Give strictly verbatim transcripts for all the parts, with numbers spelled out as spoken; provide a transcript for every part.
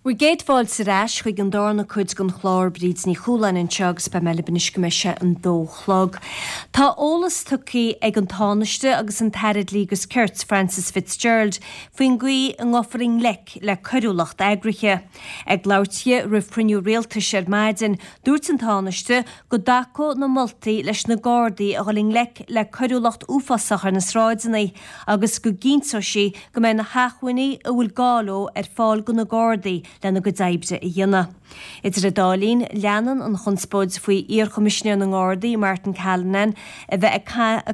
Bhur gcéad fáilte ar ais chuig an darna cuid den chlár Bríd Ní Chualáin anseo agus beidh mé libh anois go mbeidh sé an dó chlog. Tá eolas tugtha ag an Tánaiste agus an tAire Dlí agus Cirt Frances Fitzgerald faoin gcaoi a ngabhfar i ngleic le coiriúlacht eagraithe. Ag labhairt di roimh chruinniú rialtais ar maidin, dúirt an Tánaiste go dtacódh na moltaí leis na Gardaí a dhul i ngleic le coiriúlacht uafásach ar na sráideanna agus go gcinnteodh sí go mbeidh na hacmhainní a bhfuil gá leo ar fáil do na Gardaí lena gcuid oibre a dhéanamh. Idir an dá linn, leanann an chonspóid faoi iar-Choimisinéir na nGardaí Martin Callinan a bheith ag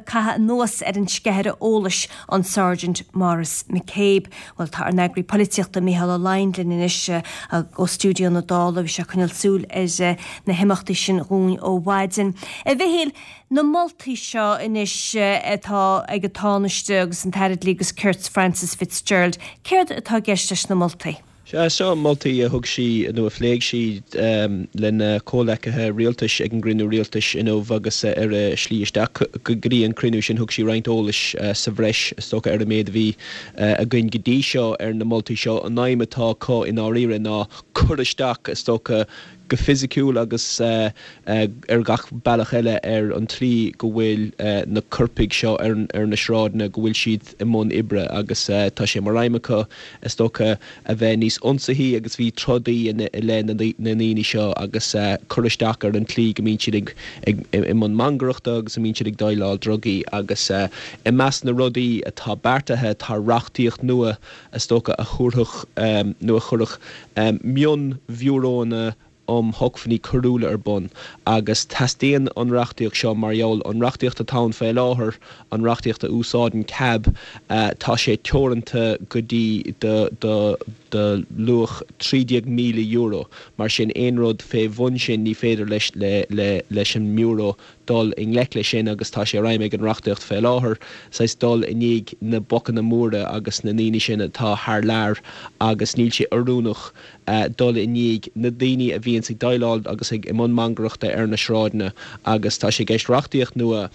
caitheamh anuas ar an sceithire eolais an Sergeant Maurice McCabe. Bhuel tá ár n-eagraí polaitíochta Mícheál Ó Laighin linn anois ó stiúideo na Dála bhí sé ag coinneáil súil ar na himeachtaí sin dhúinn ó mhaidin. A Mhichíl, na moltaí seo anois atá ag an Tánaiste agus an tAire Dlí agus Cirt Frances Fitzgerald, céard atá i gceist leis na moltaí? Sea, seo moltaí a thug sí nó a phléigh sí lena comhleacaithe rialtais ag an gcruinniú rialtais inniu agus ar a slí isteach go dtí an cruinniú sin thug sí roinnt eolais sa bhreis is dócha ar an méid a bhí againn go dtí seo ar na moltaí seo. An aidhm atá acu i ndáiríre ná cur isteach is dócha go fisiciúil agus ar gach bealach eile ar an tslí go bhfuil na coirpigh seo ar ar na sráideanna, go bhfuil siad i mbun oibre agus tá sé mar aidhm acu is dócha a bheith níos ionsaithí agus bhí trodaí i leith na ndaoine seo agus cur isteach ar an tslí go mbíonn siad ag ag i mbun mangaireachta agus a mbíonn siad ag déileáil drugaí agus i measc na rudaí atá beartaithe tá reachtaíocht nua is dócha a thabharfadh nó a chuirfeadh mion-bhiúrónna um shócmhainní coiriúla ar bun agus teastaíonn an reachtaíocht seo mar gheall an reachtaíocht atá ann faoi láthair, an reachtaíocht a úsáideann CAB, tá sé teoranta go dtí do do do luach trí déag míle euro. Mar sin aon rud fé bhun sin ní féidir leis le le leis an mBiúró dul i ngleic leis sin agus tá sé ar aidhm ag an reachtaíocht fé láthair saghas dul i ndiaidh na bocanna móra agus na ndaoine sin atá thar lear agus níl sé oiriúnach dul i ndiaidh na daoine a bhíonns ag déileáil agus ag i mbun mangaireachta ar na sráideanna agus tá sé i gceist reachtaíocht nua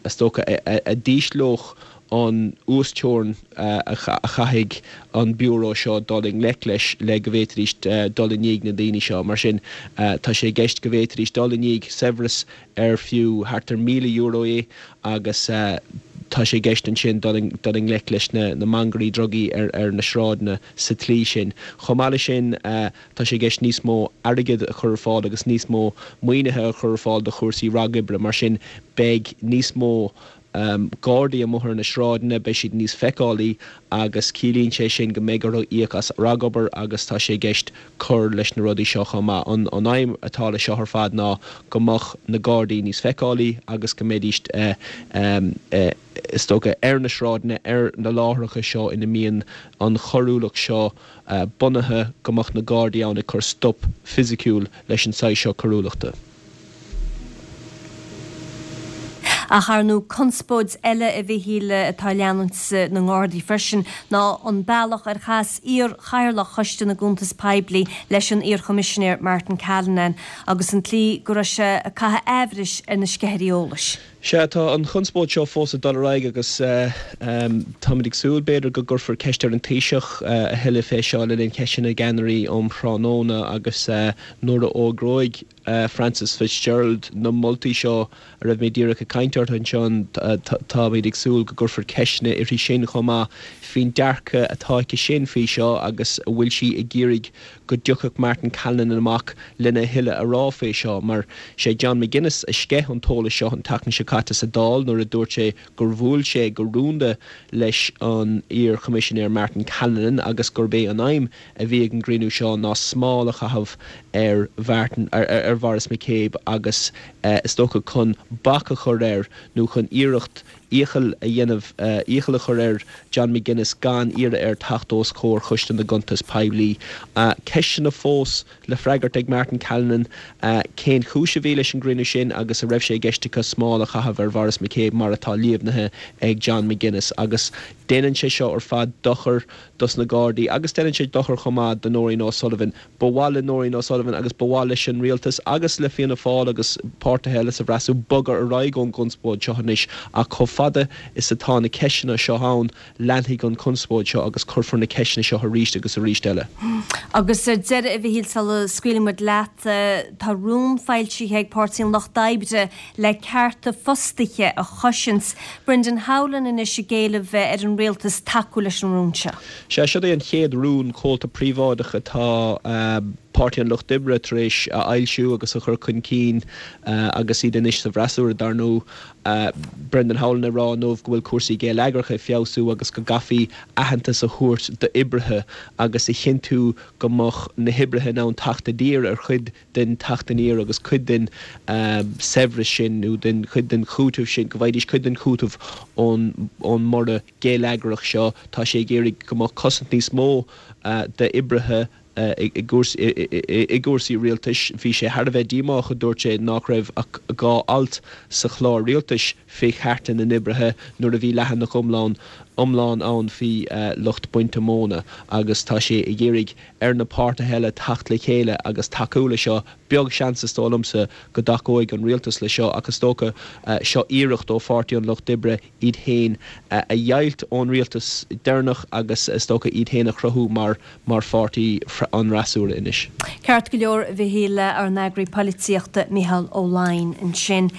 is dócha a d'ísleodh an uasteorainn a chaithfidh an Biúró seo dul i ngleic leis le go bhféadfaidís dul i ndiaidh na ndaoine seo. Mar sin, tá sé i gceist go bhféadfaidís dul i ndiaidh saibhreas ar fiú thart ar míle euro é agus tá sé i gceist ansin dul i ngleic leis na mangairí drugaí ar na sráideanna sa tslí sin. Chomh maith leis sin, tá sé i gceist níos mó airgid a chur ar fáil agus níos mó maoinithe a chur ar fáil do chúrsaí ragoibre. Mar sin, beidh níos mó Gardaí amuigh ar na sráideanna, beidh siad níos feiceálaí agus ciallaíonn sé sin go mbeidh orthu íoc as ragobair agus tá sé i gceist cur leis na rudaí seo chomh maith. An aidhm atá leis seo ar fad ná go mbeadh na Gardaí níos feiceálaí agus go mbeidís is dócha ar na sráideanna, ar na láithreacha seo ina mbíonn an choiriúlacht seo bunaithe, go mbeadh na Gardaí ann ag cur stop fisiciúil leis an saghas seo coiriúlachta. Ach ar ndóigh conspóid eile a Mhichíl atá ag leanúint na nGardaí freisin ná an bealach ar chas iar-chathaoirleach Choiste na gCuntas Poiblí leis an iar-Choimisinéir Martin Callinan agus an tslí go raibh sé ag caitheamh aimhris ar na sceithirí eolais. Sea, tá an chonspóid seo fós ag dul ar aghaidh agus táimid ag súil, b'fhéidir, go gcuirfear ceist ar an Taoiseach a thuilleadh fé seo le linn Ceisteanna na gCeannairí um thráthnóna agus nuair a fhógróidh Frances Fitzgerald na moltaí seo a raibh mé díreach ag caint orthu ansin, táimid ag súil go gcuirfear ceisteanna uirthi sin chomh maith faoin dearcadh atá aici sin faoi seo agus an bhfuil sí ag iarraidh go dtiocfadh Martin Callinan amach lena thuilleadh a rá fé seo, mar sé John McGuinness a sceith an t-eolas seo an tseachtain seo caite sa Dáil nuair a dúirt sé gur bhuail sé go rúnda leis an iar-Choimisinéir Martin Callinan agus gurb é an aidhm a bhí ag an gcruinniú seo ná smál a chaitheamh ar Mhartin, ar Mhaurice McCabe agus is dócha chun bac a chur air nó chun iarracht iachall a dhéanamh, iachall a chur ar John McGuinness gan iarraidh air teacht os comhair Choiste na gCuntas Poiblí. Ceisteanna fós le freagairt ag Martin Callinan, cén chúis a bhí leis an gcruinniú sin agus an raibh sé i gceist acu smál a chaitheamh ar Mhaurice McCabe mar atá líomhnaithe ag John McGuinness agus déanann sé seo ar fad dochar dos na Gardaí agus déanann sé dochar chomh maith do Nóirín O'Sullivan. Ba mhaith le Nóirín O'Sullivan agus ba mhaith leis an Rialtas agus le Fianna Fáil agus páirtithe eile sa bhfreasúra bogadh ar aghaidh ón gconspóid seo anois ach chomh fada is atá na ceisteanna seo ann, leanfaidh an chonspóid seo agus cuirfear na ceisteanna seo arís agus arís eile. Agus ar deireadh, a Mhichíl, sula scaoilfidh muid leat, tá rún foilsithe ag Páirtí an Lucht Oibre le cearta fostaithe a chosaint. Brendan Howlin anois ag éileamh ar an rialtas tacú leis an rún seo. Sea, seo é an chéad rún comhalta príobháideach atá Páirtí an Lucht Oibre tar éis a fhoilsiú agus a chur chun cinn agus iad anois sa bhfreasúra, dar ndóigh. Brendan Howlin ag rá inniu go bhfuil cúrsaí geilleagracha ag feabhsú agus go gcaithfí aitheantas a thabhairt d'oibrithe agus a chinntiú go mbeadh na hoibrithe in ann teacht i dtír ar chuid den teacht aniar agus cuid den saibhreas sin nó den chuid den chúiteamh sin, go bhfaighidís cuid den chúiteamh ón mborradh geilleagrach seo. Tá sé ag iarraidh go mbeadh cosaint níos mó d'oibrithe i gcúrsaí rialtais. Bhí sé thar a bheith díomách, a dúirt sé, nach raibh ach dhá alt sa chlár rialtais fé chearta na n-oibrithe nuair a bhí leathanach iomlán iomlán ann faoi lucht bainte móna agus tá sé ag iarraidh ar na páirtithe eile teacht le chéile agus tacú le seo. Beag seans, is dóigh liomsa, go dtacóidh an rialtas le seo ach is dócha seo iarracht ó Pháirtí an Lucht Oibre iad féin a dheighilt ón rialtas deireanach agus is dócha iad féin a chruthú mar mar pháirtí an fhreasúra anois. Ceart go leor, a Mhichíl, ár n-eagraí polaitíochta Micheál Ó Laighin ansin.